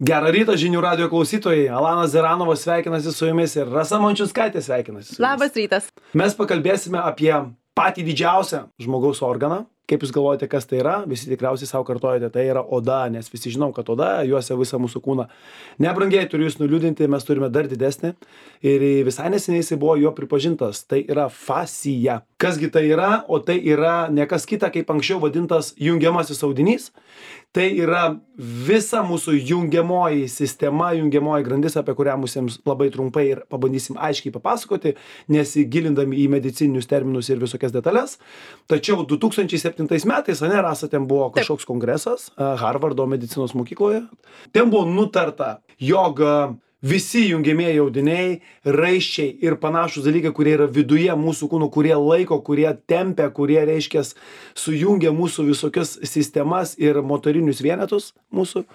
Gerą rytą žinių radio klausytojai. Alanas Zeranovas sveikinasi su jumis ir Rasa Mančiuskaitė sveikinasi su jumis. Labas rytas. Mes pakalbėsime apie patį didžiausią žmogaus organą. Kaip jūs galvojate, kas tai yra? Visi tikriausiai savo kartojate, tai yra oda, nes visi žinom, kad oda juosia visą mūsų kūną. Nebrangiai turiu jūs nuliūdinti, mes turime dar didesnį ir visai neseniai jisai buvo jo pripažintas. Tai yra fascija. Kasgi tai yra? O tai yra ne kas kita, kaip anksčiau vadintas jungiamasis audinys. Tai yra visa mūsų jungiamoji sistema, jungiamoji grandis, apie kurią mums labai trumpai ir pabandysim aiškiai papasakoti, nesigilindami į medicininius terminus ir visokias detalės. Tačiau 2007 metais, Rasa, ten buvo kažkoks kongresas Harvardo medicinos mokykloje. Ten buvo nutarta, jog visi jungiamieji audiniai, raiščiai ir panašūs dalykai, kurie yra viduje mūsų kūno, kurie laiko, kurie tempia, kurie, reiškia, sujungia mūsų visokias sistemas ir motorinius vienetus mūsų,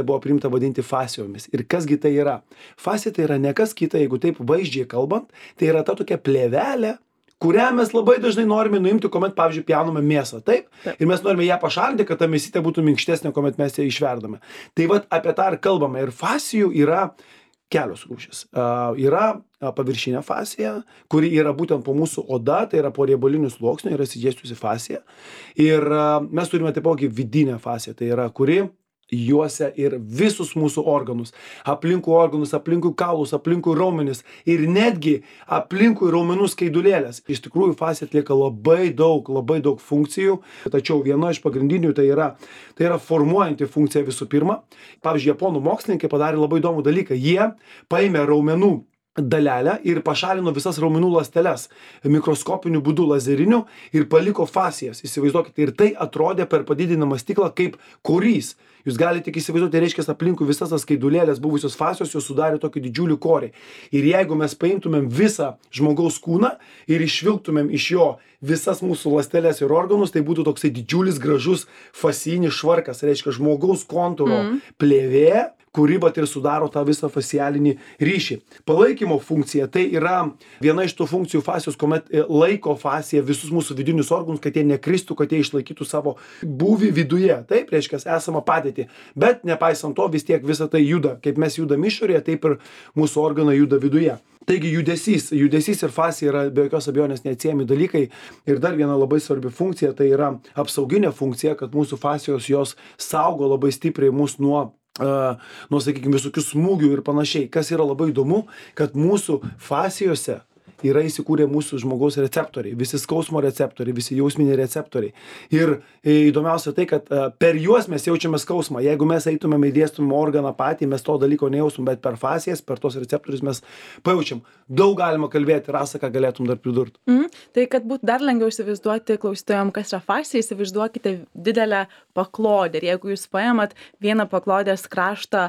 buvo priimta vadinti fascijomis. Ir kasgi tai yra? Fascija tai yra ne kas kita, jeigu taip vaizdžiai kalbant, tai yra ta tokia plėvelė, kurią mes labai dažnai norime nuimti, kuomet, pavyzdžiui, pjauname mėsą, taip? Ir mes norime ją pašalinti, kad ta mėsytė būtų minkštesnė, kuomet mes ją išverdame. Tai vat apie tą ir kalbame. Ir fascijų yra kelios rūšys. Yra paviršinė fascija, kuri yra būtent po mūsų oda, tai yra po riebalinių sluoksnių, yra išsidėsčiusi fascija. Ir mes turime taipogi vidinę fasciją, tai yra kuri juosia ir visus mūsų organus, aplinkui kaulus, aplinkui raumenis ir netgi aplinkui raumenų skaidulėlės. Iš tikrųjų, fascija atlieka labai daug funkcijų, tačiau viena iš pagrindinių tai yra formuojanti funkcija visų pirma. Pavyzdžiui, japonų mokslininkai padarė labai įdomų dalyką. Jie paėmė raumenų dalelę ir pašalino visas raumenų ląsteles mikroskopiniu būdu lazeriniu ir paliko fascijas. Įsivaizduokite, ir tai atrodė per padidinamą stiklą kaip korys. Jūs galite tik įsivaizduoti, reiškia, aplinkui visas tas skaidulėlės buvusios fascijos jos sudarė tokį didžiulį korį. Ir jeigu mes paimtumėm visą žmogaus kūną ir išvilktumėm iš jo visas mūsų ląsteles ir organus, tai būtų toksai didžiulis gražus fascijinis švarkas, reiškia žmogaus kontūro plėvė, kuri vat ir sudaro tą visą fascialinį ryšį. Palaikymo funkcija tai yra viena iš tų funkcijų fascijos, kuomet laiko fascija visus mūsų vidinius organus, kad jie nekristų, kad jie išlaikytų savo būvį viduje. Taip, reiškia, esamą padėtį. Bet nepaisant to, vis tiek visa tai juda. Kaip mes judam išorėje, taip ir mūsų organai juda viduje. Taigi judesys ir fascija yra be jokios abejonės neatsiejami dalykai. Ir dar viena labai svarbi funkcija, tai yra apsauginė funkcija, kad mūsų fascijos jos saugo labai stipriai mus nuo, sakykime, visokių smūgių ir panašiai. Kas yra labai įdomu, kad mūsų fascijose yra įsikūrę mūsų žmogaus receptoriai, visi skausmo receptoriai, visi jausminiai receptoriai. Ir įdomiausia tai, kad per juos mes jaučiame skausmą. Jeigu mes eitumėm įdėstumėm organą patį, mes to dalyko nejaustum, bet per fascijas, per tos receptorius mes pajaučiam. Daug galima kalbėti, Rasa, ką galėtum dar pridurti. Tai kad būtų dar lengviau įsivaizduoti klausytojams, kas yra fascija, įsivaizduokite didelę paklodę. Ir jeigu jūs paėmat vieną paklodės kraštą,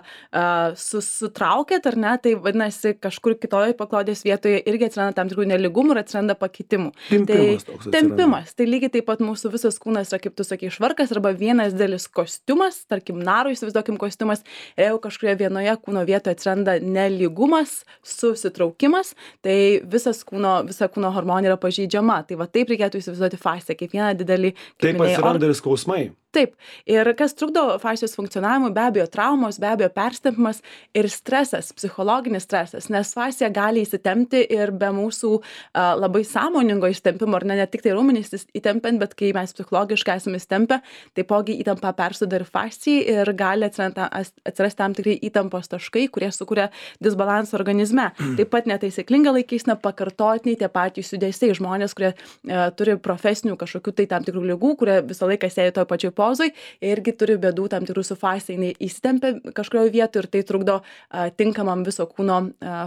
sutraukėt, ar ne, tai vadinasi, kažkur kitoje paklodės vietoje irgi atsiranda tam tikrų nelygumų ir atsiranda pakitimų. Tempimas. Tai lygiai taip pat mūsų visas kūnas yra, kaip tu sakai, švarkas arba vienas didelis kostiumas, tarkim, narų įsivaizduokim kostiumas, ir jeigu kažkurioje vienoje kūno vietoje atsiranda nelygumas, susitraukimas, tai visa kūno hormonai yra pažeidžiama. Tai va taip reikėtų įsivaizduoti fasciją, kaip vieną didelį, kaip taip atsiranda ir skausmai. Taip. Ir kas trukdo fascijos funkcionavimui, be abejo traumos, be abejo perstempimas ir stresas, psichologinis stresas, nes fascija gali įsitempti ir be mūsų labai sąmoningo įsitempimo, ar ne tik tai raumenys įtempiant, bet kai mes psichologiškai esame įsitempę, taipogi įtampa persuda ir fascijai ir gali atsirasti tam tikrai įtampos taškai, kurie sukuria disbalansą organizme. Taip pat netaisyklinga laikysena, pakartotiniai tie patys judesiai, žmonės, kurie turi profesinių kažkokių tai tam tikrų ligų, kurie visą laiką sėdi toj pačioj pozoj, irgi turi bėdų tam tikrų su fascija, jinai įsitempia kažkurioje vietoje ir tai trukdo tinkamam viso kūno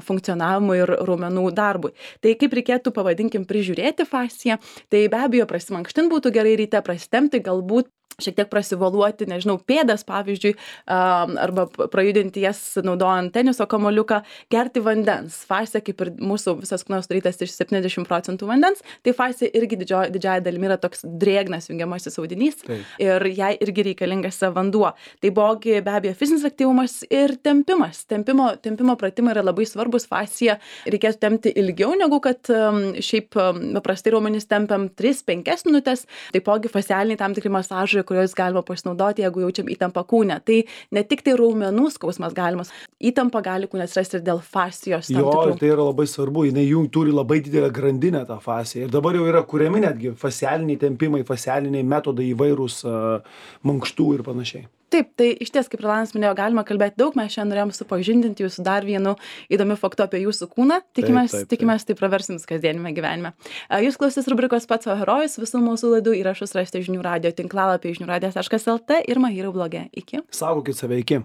funkcionavimui ir raumenų darbui. Tai kaip reikėtų, pavadinkim, prižiūrėti fasciją, tai be abejo prasimankštint būtų gerai ryte, prasitempti, galbūt šiek tiek prasivoluoti, nežinau, pėdas, pavyzdžiui, arba prajudinti jas naudojant teniso kamuoliuką, gerti vandens. Fascija, kaip ir mūsų visas kūnas sudarytas iš 70% vandens, tai fascija irgi didžiąja dalimi yra toks drėgnas jungiamasis audinys ir jai irgi reikalingas vanduo. Taipogi be abejo fizinis aktyvumas ir tempimas. Tempimo pratimai yra labai svarbus. Fasciją reikėtų tempti ilgiau negu kad šiaip paprastai raumenys tempiam 3-5 minutės. Taipogi fascialiniai tam tikri masažai turi, kuriuos galima pasinaudoti, jeigu jaučiam įtampą kūne. Tai ne tik tai raumenų skausmas galimas, įtampa gali kūne atsirasti ir dėl fascijos. Jo, ir tai yra labai svarbu, jinai jų turi labai didelę grandinę tą fasciją. Ir dabar jau yra kuriami netgi fascialiniai tempimai, fascialiniai metodai įvairūs, mankštų ir panašiai. Taip, tai iš ties, kaip Rolandas minėjo, galima kalbėti daug, mes šiandien norėjom supažindinti jūsų dar vienu įdomiu faktu apie jūsų kūną. Tikimės tai pravers jums kasdienime gyvenime. Jūs klausys rubrikos Pats savo herojus, visų mūsų laidų įrašus rasite žinių radijo tinklalapį žiniųradijas.lt ir Mahirų bloge. Iki. Saugokit save, iki.